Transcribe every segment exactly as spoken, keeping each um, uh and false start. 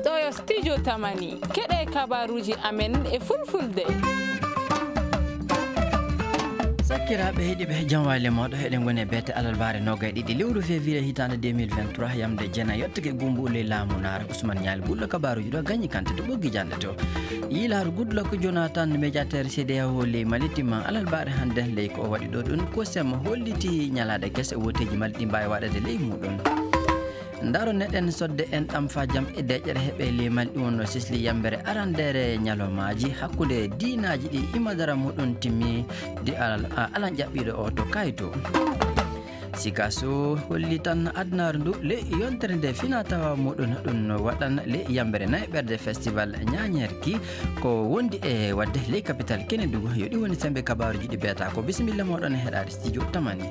Ɗo yo studio Tamani, keɗe kabaruuji amen e fulfulde. Sakiraaɓe heɗiiɓe, jam waali mooɗo. Eɗen ngoni e beete alarbaare noogay ɗiɗi lewru février hitaande deux mille vingt-trois, yamde jeenay yottake gumbu ley laamu naar. Ousmane Ñaali Bullo kabaruuji ɗo gañi kante to ɓoggi jannde to. Yilaaru Goodluck Jonathan, médiateur C D A O ley Mali, timma alarbaare hannde. Ley ko o waɗi ɗo ɗum, COSEM holliti ñalaaɗe kese wooteeji Mali ɗi mbaawi waɗeede ley muuɗum. Ndaro neɗen sodde en ɗam faa jam e deeƴere heɓe ley Mali, ɗum wonno sesli yambere arandeere ñalawmaaji hakkunde diinaaji ɗi imadara muɗum timmi di alal, a-, alan ƴaɓɓiiɗo o to Kayto. Sikaso holli tan adunaaru ndu le yontere nde fina tawa muɗum ɗum waɗan le yambere nayi ɓerde festival ñaañerki ko wondi e waɗde ley capital Kenedugu. Yo ɗi woni sembe kabaaruuji ɗi beeta ko. Bisimilla mooɗon e heɗaade studio Tamani.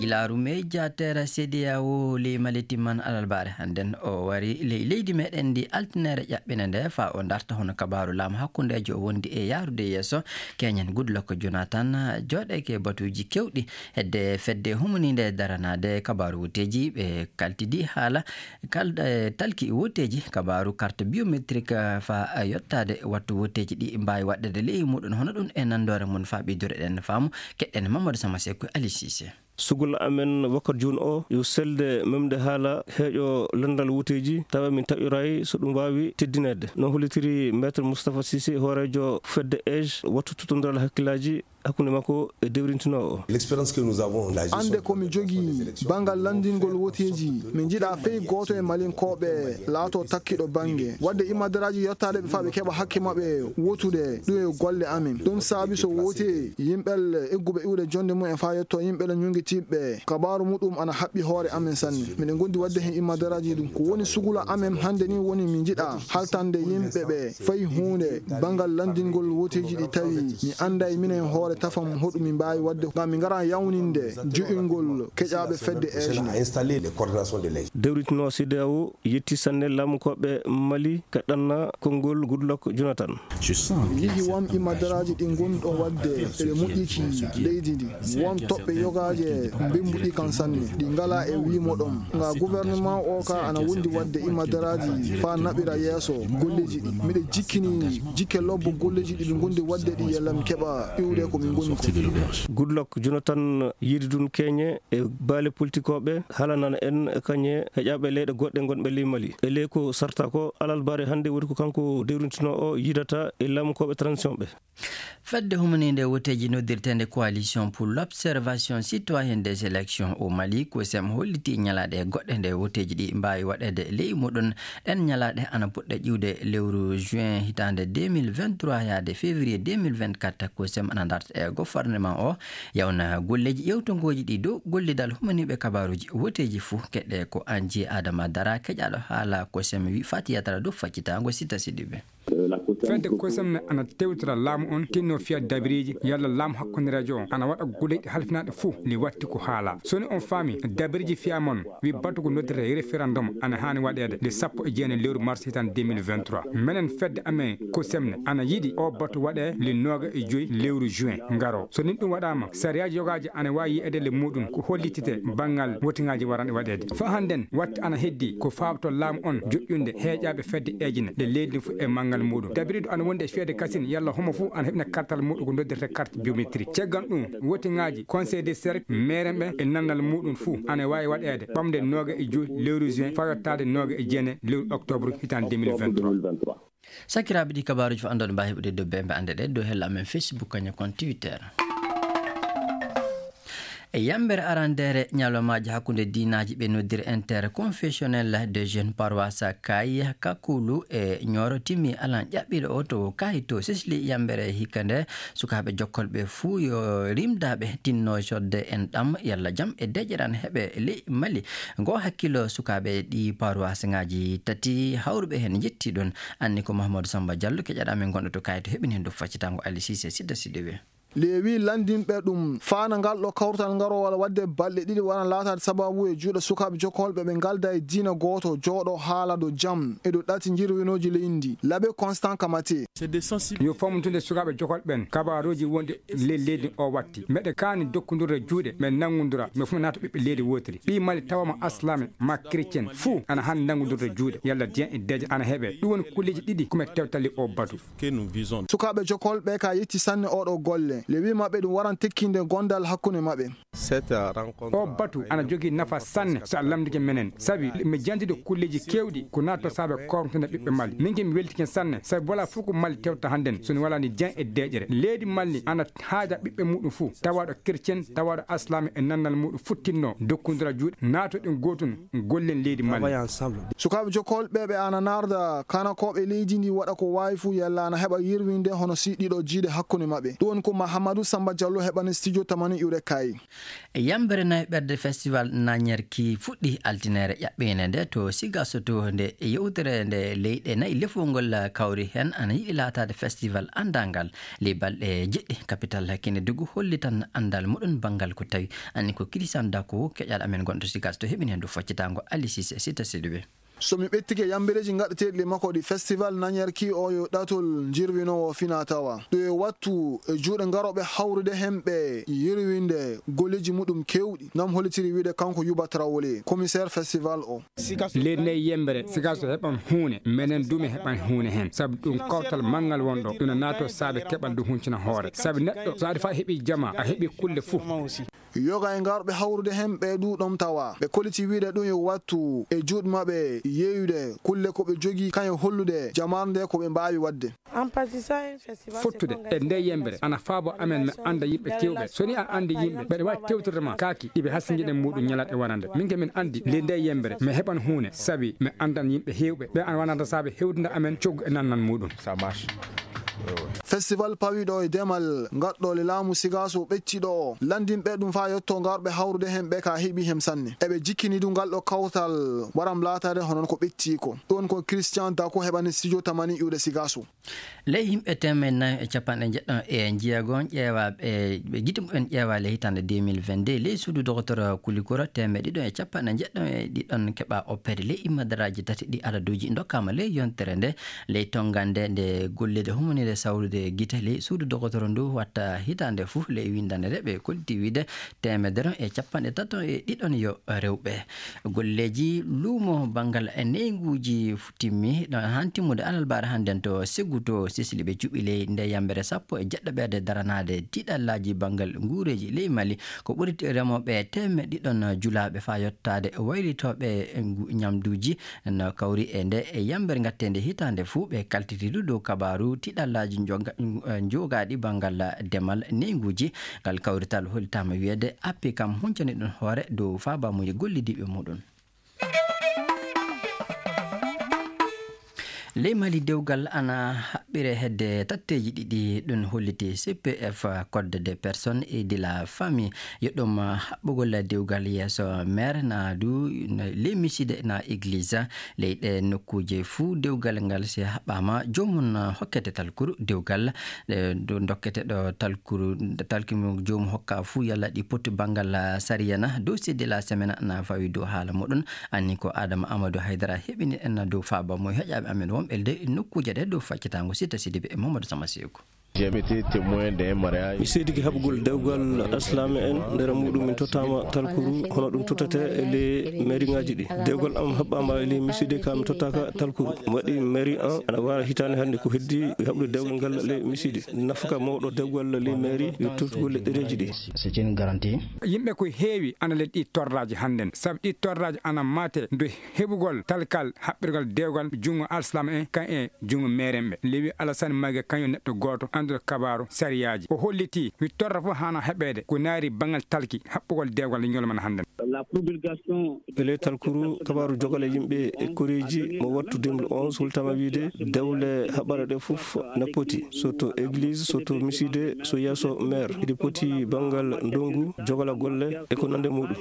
Yilaaru médiateur C D A O ley Mali timman alarbaare hannden. O wari ley leydi meɗen ndi altineere ƴaɓɓinde nde faa o darta hono kabaaru laamu hakkundeejo o wondi e yaarude yeeso. Keñen Goodluck Jonathan jooɗeeke batuuji kewɗi hedde fedde humaniinde daranaade kabaaru wooteeji. Ɓe kaltidi haala kal-, eh, talki wooteeji kabaaru carte biométrique, eh, faa, eh, yottaade wattu wooteeji ɗi mbaawi waɗɗeede ley muɗum. Hono ɗum e nanndoore mum faa ɓeydore ɗen faamu, keɗɗen Mamadou Sama Seku e Ali Cissé. Sugol amen wakkati jooni o yo selde memde haala heeƴo lanndal wooteeji, tawa min taƴoraay so ɗum waawi teddineede. No hollitiri Maître Moustapha Cissé, hooreejo fedde age, wattu tuttondiral hakkillaaji hakkunde makko e dewrintinoowo o. L'expérience que nous avons, la gestion Annde ko mi jogii banngal lanndingol wooteeji, mi njiɗaa fey gooto e Malinkooɓe laato takkiɗo bannge. Waɗde imadaraaji yottaade ɓe faa ɓe keɓa hakke maɓɓe wootude, ɗum e golle amen. Ɗum saabi so wootee yimɓe egguɓe iwde jonnde mum en faa yetto yimɓe ñungitiiɓe, kabaaru muɗum ana haɓɓi hoore amen sanne. Miɗen ngondi waɗde heen imadaraaji ɗum. Ko woni sugula amen hannde ni woni mi njiɗaa haltande yimɓe ɓe fay huunde banngal lanndingol wooteeji ɗi tawi mi annday minen hoore tafam hoɗum mi mbaawi waɗde ngam mi ngara yawninde jo'ingol keƴaaɓe fedde eeje. Installer les coordinations de l'E J. Dewritinoo C D A O yetti sanne laamukooɓe Mali ka ɗanna konngol Goodluck Jonathan. Mi yihi won imadaraaji ɗi ngonɗon waɗde eɓe moƴƴiki leydi ndi. Won toɓɓe yogaaje mbembuɗi kan sanne, ɗi ngalaa e wiimo ɗon. Nga gouvernement o ka ana wondi waɗde imadaraaji faa naɓira yeeso golleeji ɗi. Miɗo jikkini jikke lobbo golleeji ɗi ɓe ngondi waɗde ɗi yalla mi keɓa iwde ko min ngoni ko. Goodluck Jonathan yiidi ɗum keñe e baale politikooɓe, haalanana en kañe heƴaaɓe leyɗe goɗɗe ngonɓe ley Mali. E ley ko sarta ko, alarbaare hannde woni ko kanko dewrintinoo o yiidata e laamukooɓe transition ɓe. Fedde humaniinde wooteeji noddirteende Coalition pour l'Observation Citoyenne des Élections au Mali, COSEM, holliti ñalaaɗe goɗɗe nde wooteeji ɗi mbaawi waɗeede ley muɗum. Ɗen ñalaaɗe ana puɗɗa ƴiwde lewru juin hitaande deux mille vingt-trois yaade février deux mille vingt-quatre. COSEM ana darta e gouvernement o yawna golleeji ƴeewtongooji ɗi dow gollidal humaniiɓe kabaaruuji wooteeji fuu. Keɗe ko Anji Adama Dara, keƴaaɗo haala COSEM, wi Fatiyatara dow faccitaango Sita Sidibe. Fedde COSEM ne ana tewtira laamu on, tinno fiya dabiriiji, yalla laamu hakkundereejo on ana waɗa golleeji halfinaaɗe fuu, li watti ko haala. So ni on faami dabiriiji fiya mon, wi batu ko noddirta référendum ana haani waɗeede le sappo e jeenayi lewru mars hitan deux mille vingt-trois. Menen fedde amen COSEM ne ana yiɗi o batu waɗe le nooga e joyi lewru juin ngaro. So nin ɗum waɗaama, sariyaaji yogaaji ana waawi yi'eede le muɗum ko hollitite banngal wotingaaji waranɗe waɗeede. Fa hannden, watte ana heddi ko faabto laamu on joƴƴunde heeƴaaɓe fedde eeji ne le leydi fuu e manngal muɗum. Dabiriiɗo ana wondi e fiyede kasin yalla homo fuu ana heɓina kartal muɗum ko noddirta carte biométrique. Caggal ɗum, wotingaaji conseil des cercles, meerenɓe e nannal muɗum fuu ana waawi waɗeede ɓamde nooga e joyi lewru juin faa yottaade nooga e jeenayi lewru octobre hitan deux mille vingt-trois. Sakiraaɓe, ɗi kabaaruuji fof anndon mbaawi heɓude dow bembe annde ɗe dow hella amen Facebook, kañum kon Twitter. E yambere arandeere ñalawmaaji hakkunde diinaaji ɓe noddiri interconfessionnel de jeunes paroisse Kay Kakulu e Ñooro timmi alan ƴaɓɓiiɗo o to Kay to sesli yambere hikka nde. Sukaaɓe jokkolɓe fuu yo rimdaaɓe tinno sodde en ɗam yalla jam e deƴƴere an heɓe ley Mali. Ngo hakkilo sukaaɓe ɗi paroisse ŋaaji tati hawruɓe heen njetti ɗon. Anni ko Mahamadou Samba Diallo keƴaɗo amen gonɗo to Kay to heɓini heen dow faccitango Ali Cissé Sidda Siddiɓe. Lewi lanndinɓe ɗum, faana ngal ɗo kawtal ngarowal waɗde balɗe ɗiɗi wona laataade sababu e juuɗe sukaaɓe jokkolɓe ɓe ngalda e diina gooto, jooɗo haala dow jam e dow ɗati njirwinooji leydi ndi. Labe Constant Kamate. Yo famɗude sukaaɓe jokkolɓe ɓen kabaaruuji wonɗi ley leydi o watti. Meɗe kaani dokkundurde juuɗe, men nanngundura, men fof men naata ɓiɓɓe leydi wootiri. Ɓii Mali tawama aslame ma chrétien, fuu ana haani nanngundurde juuɗe, yalla diyan e deeƴa ana heɓe. Ɗum woni kulleeji ɗiɗi ko men tewtali o batu. Sukaaɓe jokkolɓe ka yetti sanne oɗo golle. Le wi maɓɓe ɗum waran tekkinde gondal hakkunde maɓɓe. O batu ana jogii nafa sanne so a lamndike menen, sabi mi jantude kulleeji keewɗi ko naatto saabe kormtinde ɓiɓɓe Mali. Min ke mi weltike sanne, sabi wala fof ko Mali tewta hannden so ni wala ni diyan e deeƴere. Leydi Mali ana haaja ɓiɓɓe muɗum fuu, tawaɗo chrétien, tawaɗo aslame e nannal muɗum futtinno dokkundura juuɗe, naato ɗen gootun, gollen leydi Mali. Sukaaɓe jokkolɓe ɓe ana narda kanakooɓe leydi ndi waɗa ko waawi fuu yalla ana heɓa yirwinde hono si ɗiɗo jiiɗe hakkunde maɓɓe. Ɗum woni ko Mahamadou Samba Diallo heɓani studio tamani iwre Kayi. Yambere nayi ɓerde festival Nanyerki fuɗɗi altineere ƴaɓɓeende nde to Sigaso to nde yewtere nde leyɗe nayi lefol ngol kawri heen ana yiɗi laataade festival anndangal. Ley balɗe jeɗɗi, kapital Kinedugu hollitan anndal muɗum banngal ko tawi anni ko Christian Dako keƴal amen gonɗo Sigaso to heɓini heen dow faccitango Ali Cissé Sita Sidibé. So mi ɓettike yambireeji gaɗeteeɗi le makko ɗi festival Nanyerki o yo ɗatol jirwinoowo fina tawa. Ɗo e wattu e juuɗe garooɓe hawrude heen ɓe yirwinde golleeji muɗum keewɗi. Nam hollitiri wiide kanko Yuba Traoré, commissaire festival o. Leydi nde yembere, Sigaso heɓan huune, menen du mi heɓan huune heen. Sabu ɗum kawtal manngal won ɗo, ɗum no naato saabe keɓal du huncina hoore. Sabu neɗɗo, so aɗa fa heɓi jama, a heɓi kulle fuu. Yoga e ngarɓe hawrude heen ɓe ɗuuɗom tawa. Ɓe kolliti wiide ɗum yo wattu e juuɗe maɓɓe yeeyude kulle ko ɓe jogii, kañum hollude jamaare nde ko ɓe mbaawi waɗde. Fottude e nde yembere ana faabo amen mi annda yimɓe kewɓe. So ni a anndi yimɓe, mbeɗa waawi tewtirde ma kaaki ɗi ɓe hasinjiɗen muɗum ñalaɗe wonande. Min ke min anndi nde nde yembere mi heɓan huune, sabi mi anndan yimɓe heewɓe. Ɓe ana wonande saabe hewtinde amen coggu e nannan muɗum. Festival pawiɗo e demal gaɗɗo le laamu Sigaso ɓecciɗo o, lanndinɓe ɗum faa yetto ngarɓe hawrude heen ɓe ka heɓi heen sanne. Eɓe jikkini du ngal ɗo kawtal waram laataade hono ko ɓetti ko. Ɗon ko Christian Dako heɓani studio tamani iwde Sigaso. Ley yimɓe teemedde nayi e capanɗe njeɗɗo e jeego ƴeewaaɓe, ɓe gite mumen ƴeewaa ley hitaande deux mille vingt-deux, ley suudu dogotoro Kulikoro teemedde ɗiɗo e capanɗe njeɗɗo e ɗiɗon keɓa oppeede ley immadaraaji tati ɗi adaduuji ndokkaama ley yontere nde. Ley tonngande nde golleede humaniire sawrude gite ley suudu dogotoro ndu watta hitaande fof ley winndande nde ɓe kolliti wiide teemedere e capanɗe tato e ɗiɗon yo rewɓe. Golleeji luumo banngal e neynguuji timmi ɗo haa timmude alarbaare hannden to Seggu to Sesli. Ɓe cuɓi ley nde yambere sappo e jeɗɗo ɓerde daranaade tiiɗallaaji banngal nguureeji ley Mali. Ko ɓuri remooɓe teemedde ɗiɗon julaaɓe faa yottaade waylitooɓe ngu-, ñamduuji no kawri e nde e yambere ngatteende hitaande fuu. Ɓe kaltiti du dow kabaaru tiiɗallaaji njoga-, eh, njogaaɗi banngal demal neynguuji. Ngal kawrital hollitaama wiyeede appi kam huncani ɗum hoore dow faabaamuuji gollidiiɓe muɗum. Ley Mali, dewgal ana haɓɓire hedde tatteeji ɗiɗi, ɗum holliti C P F, Code des personnes et de la famille. Yo ɗum haɓɓugol dewgal yeeso maire na du ley miside na église. Ley ɗe nokkuuje fuu dewgal ngal si haɓɓaama, joomum hokkete talkuru dewgal, eh, do-, dokkete ɗo talkuru, talki mo joomum hokka fuu yalla ɗi poti banngal sariya na. Dossier de la semaine na fawi dow haala muɗum. Anni ko Adama Amadou Haydara heɓini en dow faaba mo heƴaaɓe amen wonɓe ley nokkuuje ɗe dow faccitaango Sita Sidibe e Mamadou Sama Seeku. Mi seedike haɓugol dewgal aslame en, nder muɗum min tottama talkuru, hono ɗum tottete e ley mairie ngaji ɗi. Dewgal am haɓɓama e ley miside ka mi tottaka talkuru. Mi waɗi mairie an, ana wara hitaande hannde ko heddi haɓude dewgal ngal ley miside. Nafaka mawɗo dewgal ley mairie yo tottugol e ɗereji ɗi. C'est une garantie. Yimɓe ko heewi ana ley ɗi torraji hannden, sabu ɗi torraji ana mate ndu heɓugol talkal haɓɓirgal dewgal junngo alsilaama en kan e junngo meerenɓe. Lewi Alassane Mague kañum neɗɗo gooto annduɗo kabaaru sariyaaji. O hollitii wi torra fof haana heɓeede ko naari banngal talki haɓɓugol dewgal e ñolmana hannden. E ley talkuru kabaaru jogal e yimɓe e koreeji mo wattu deux mille onze holtama wiide dewle haɓɓare ɗe fof na poti, so to église, so to miside, so yeeso maire. Iɗi poti banngal ndongu, jogala golle e ko nande muɗum.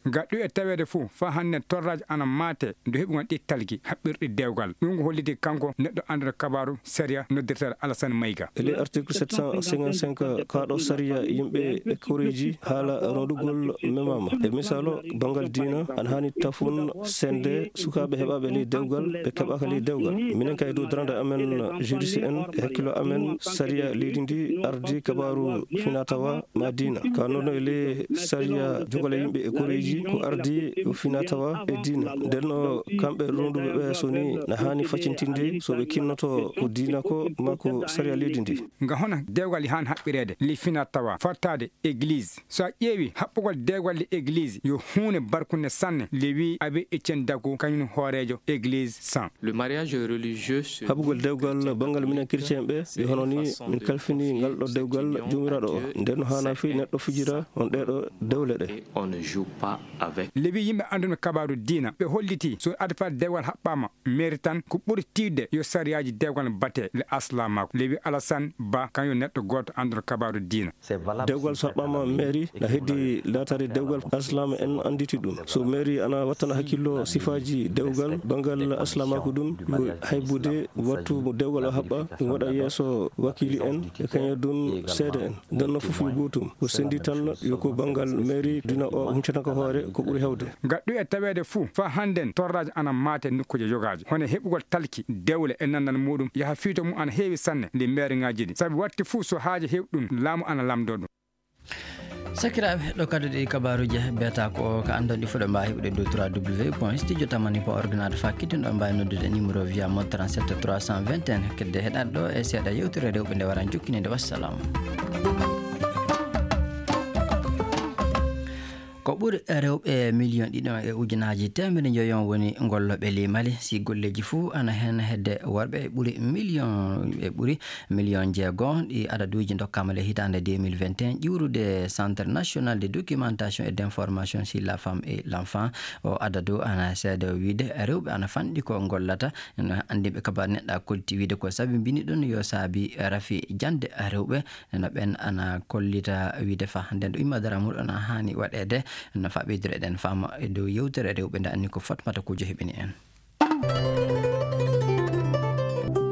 Ga ɗum e taweede fuu, faa hannde torraaji ana maate dow heɓugol ɗi talki haɓɓirɗi dewgal. Ɗum ko holliti kanko neɗɗo annduɗo kabaaru sariya noddirteeɗo Alassane Maïga. E ley article sept cent cinquante-cinq, kaa ɗo sariya yimɓe e koreeji haala rondugol memaama. E misaalu, banngal diina ana haani tafon sende sukaaɓe heɓaaɓe ley dewgal, ɓe keɓaaka ley dewgal. Minen kay dow darande amen juriste en e hakkillo amen sariya leydi ndi ardi kabaaru finatawa ma diina. Ka noon e ley sariya jogale yimɓe e koreeji ko ardi finatawa e diina. Nden no kamɓe ronduɓe ɓe so ni na haani facintinde so ɓe kinnoto ko diina ko ma ko sariya leydi ndi. Nga hono dewgal yahan haɓɓireede ley finatawa fartaade église. So a ƴeewi haɓɓugol dewgal ley église yo huunde barkunde sanne le wi Abbé Etienne Daco kañum hooreejo église san. Le mariage religieux se Haɓugol dewgal banngal minen chrétien ɓe, ɓe hono ni min kalfini ngal ɗo dewgal Joomiraaɗo o. Nden no haanaa fii neɗɗo fijira on ɗee ɗo dewle ɗe. Et on ne joue pas avec. Lewi yimɓe annduɓe kabaaru diina, ɓe holliti so adfaade dewgal haɓɓaama meeri tan, ko ɓuri tiiɗde yo sariyaaji dewgal bate le aslamaako. Lewi Alassane Ba, kañum neɗɗo gooto annduɗo kabaaru diina. Dewgal so haɓɓaama meeri, na heddii laataade dewgal aslama en annditi ɗum. So meeri ana wattana hakkillo sifaaji dewgal, banngal aslamaaku ɗum, yo haybude wattu mo dewgal o haɓɓa, ɗum waɗa yeeso wakiili en, e kañum ɗum seede en. Nden no fof yo gootum. Ko senndi tan yo ko banngal meeri dina o huncata ko hoore ko ɓuri heewde. Ngal ɗum e taweede fuu, faa hannden torraaji ana maate nokkuuje yogaaji. Hono heɓugol talki, dewle e nanndal muuɗum, yaha fiito mum ana heewi sanne ley meeriŋaaji ɗi. Sabi waɗti fuu so haaje heewi ɗum, laamu ana lamndoo ɗum. Sakiraaɓe, ɗo kadi ɗi kabaaruuji beeta ko ka anndon ɗi fuɗo mbaawi heɓude dow trois W point studio tamani point org naata fa kiɗɗinɗo mbaawi noddude numéro via mode trente-sept trois cent vingt et un. Kedde heɗaade ɗo e seeɗa yewtere rewɓe nde waran jokkinede. Wassalam. Ko ɓuri rewɓe miliyon ɗiɗi e ujunaaji teemedde njoyo woni gollooɓe ley Mali, si golleeji fuu ana heen hedde worɓe ɓuri miliyon, e ɓuri miliyon jeego. Ɗi adaduuji ndokkaama le hitaande deux mille vingt et un, ƴiwrude Centre National de Documentation et d'Information sur la Femme et l'Enfant. O adadu ana seede o wiide rewɓe ana fanɗi ko gollata. No anndiiɓe kabaru neɗɗa kolliti wiide ko sabi mbini ɗum yo saabi rafi jannde rewɓe. No ɓen ana kollita wiide fa nden ɗo imma dara muɗum ana haani waɗeede. No fa ɓeydore ɗen faama e dow yewtere rewɓe nde anni ko Fatmata Kujo heɓini en.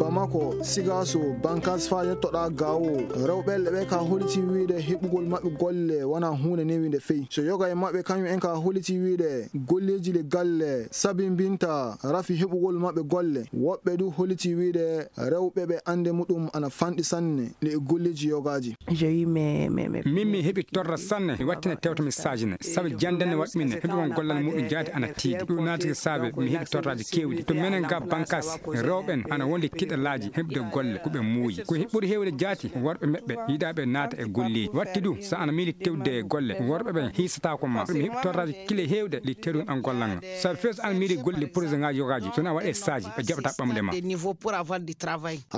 Bamako, Sigaso, Bankas fa yettoɗa Gawo, rewɓe ɓe ka holiti wiide heɓugol maɓɓe golle wona huunde newinde fey. So yoga e maɓɓe kañum en ka holiti wiide golleeji le galle sabimbinta rafi heɓugol maɓɓe golle. Woɓɓe du holiti wiide rewɓe ɓe annde muɗum ana fanɗi sanne le e golleeji yogaaji. Min mi heɓi torra sanne, mi wattina tewta mi saajina. Sabi jannde ne waɗmi ne, heɓugol gollal muɗum jaati ana tiiɗi. Ɗum naati ko saabe mi heɓi torraaji keewɗi. To menen ga Bankas, rewɓe en ana wondi tiɗalaaji heɓde golle ko ɓe muuyi. Ko he-, ɓuri heewde jaati worɓe maɓɓe yiɗaaɓe naata e golleeji. Watti ɗum, so ana miili tewde e golle, worɓe ɓen hiisataako ma. Mi heɓi torraaji kile heewde ɗi tewɗum an gollal ngal. Sabi fees ana miili golle projet ŋaaji yogaaji, so na waɗe saaji, ɓe jaɓata ɓamde ma.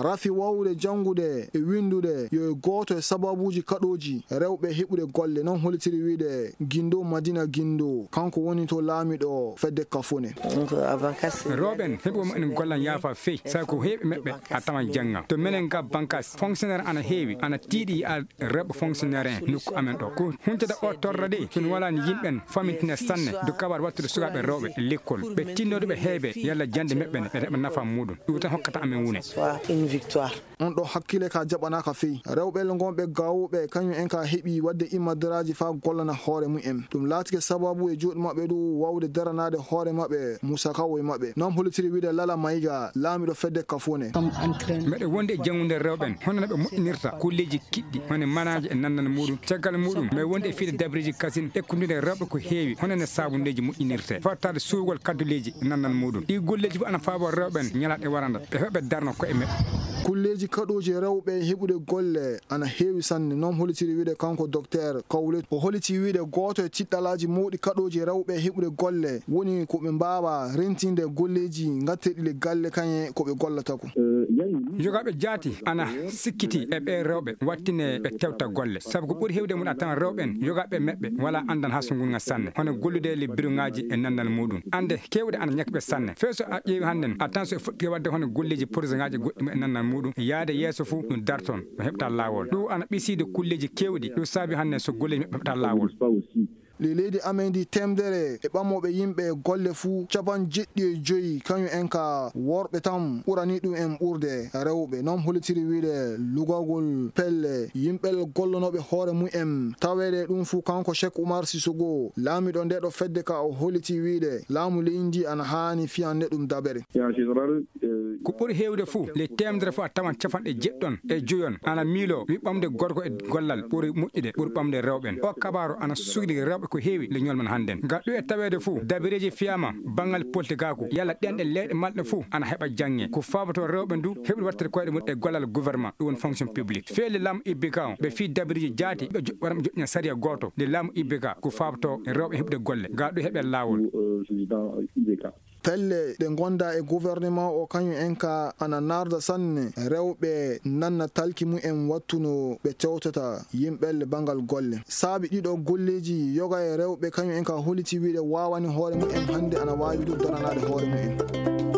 Rafi wawde janngude e winndude yo e gooto e sababuuji kaɗooji rewɓe heɓude golle, noon holitiri wiide Gindo Madina Gindo, kanko woni to laamiɗo fedde Kafone. Rewɓe en heɓuɓe mumen golle ana yaafa fey, sabi ko heewɓe maɓɓe a tawan jannga. To menen ga Bankas, fonctionnaire ana heewi, ana tiiɗi yiya rewɓe fonctionnaire en nokku amen ɗo. Ko huncata o torra de, so mi walaani yimɓe en famintina sanne, do kabar wattude sukaaɓe rewɓe lekkol. Ɓe tinnoɗo ɓe heebe yalla jannde maɓɓe ne, ɓe heɓa nafa muɗum. Ɗum tan hokkata amen wune. On ɗo hakkile ka jaɓanaaka fey. Rewɓe le ngonɓe Gawo ɓe, kañum en ka heɓi waɗde immadaraaji faa gollana hoore mum en. Ɗum laatike sababu e juuɗe maɓɓe du wawde daranaade hoore maɓɓe, Musa Kawo e maɓɓe. Noon holitiri wiide Lala Mayiga, laamiɗo fedde Kafone. Meɗe wonde e janngude rewɓe en, hono no ɓe moƴƴinirta golleeji kiɗɗi, hono manaaji e nannal muɗum. Caggal muɗum, meɗe wonde e fiide dabareeji kasin, ekkudude rewɓe ko heewi, hono no saabundeeji moƴƴinirte, fottaade suuwgol kadduleeji e nannal muɗum. Ɗi golleeji fof ana faabo rewɓe en ñalaaɗe waranda, ɓe heɓa ɓe darna koye maɓɓe. Golleeji kaɗooji rewɓe heɓude golle ana heewi sanne, noon holitiri wiide kanko Docteur Kawlet. O holiti wiide gooto e tiɗɗalaaji mawɗi kaɗooji rewɓe heɓude golle woni ko ɓe mbaawa rentinde golleeji ngatteɗi le galle kañe ko ɓe gollata ko. Yogaaɓe jaati ana sikkiti e ɓee rewɓe wattine ɓe tewta golle, sabu ko ɓuri heewde mum a tawan rewɓe en yogaaɓe maɓɓe wala anndal hasungol ngal sanne, hono gollude le biruŋaaji e nannal muɗum. Annde keewɗe ana ñakki ɓe sanne. Fee so a ƴeewi hannden a tan so e fuɗɗi waɗde hono golleeji projet ŋaaji goɗɗi e nannal muɗum, yaade yeeso fuu ɗum darton, ɗum heɓta laawol. Ɗum ana ɓisiide kulleeji keewɗi, ɗum saabi hannden so golleeji maɓɓe heɓta laawol. Ley leydi amen ndi, teemdere e ɓamooɓe yimɓe golle fuu, capanɗe jeeɗiɗi e joy kañum en ka worɓe tan, ɓurani ɗum en ɓurde rewɓe. Noon hollitiri wiyde lugagol pelle yimɓe gollonooɓe hoore mum en. Taweede ɗum fuu, kanko Cheikh Oumar Sissoko, laamiiɗo ndee ɗo fedde ka, o holliti wiyde laamu leydi ndi ana haani fiyande ɗum dabere. Ko ɓuri heewde fuu, ley teemedere fuu a tawan capanɗe jeeɗiɗon e joyon ana miiloo wi ɓamde gorko e gollal ɓuri moƴƴude, ɓuri ɓamde rewɓe en. O kabaaru ana sukli rewɓe ko heewi le ñolmen hannden. Ngam ɗum e taweede fuu, dabireeji fiyaama banngal politikaaku, yalla ɗenɗe leyɗe malɗe fuu ana heɓa jaŋŋe. Ko faabatoo rewɓe ndu heɓude waɗtede koyɗe mum e gollal gouvernement, ɗum woni fonction publique. Feele laamu I B K o, ɓe fii dabireeji jaati, ɓe jo-, waɗa ɓe joƴƴina sariya gooto. Le laamu I B K, ko faabatoo rewɓe heɓude golle, ngam ɗum heɓe laawol. Pelle ɗe ngonda e gouvernement o kañum en ka ana narda sanne rewɓe nanna talki mum en wattu no ɓe tewtata yimɓelle banngal golle. Saabi ɗiɗo golleeji yoga e rewɓe kañum en ka holliti wiyde waawani hoore mum en hannde ana waawi du daranaade hoore mum en.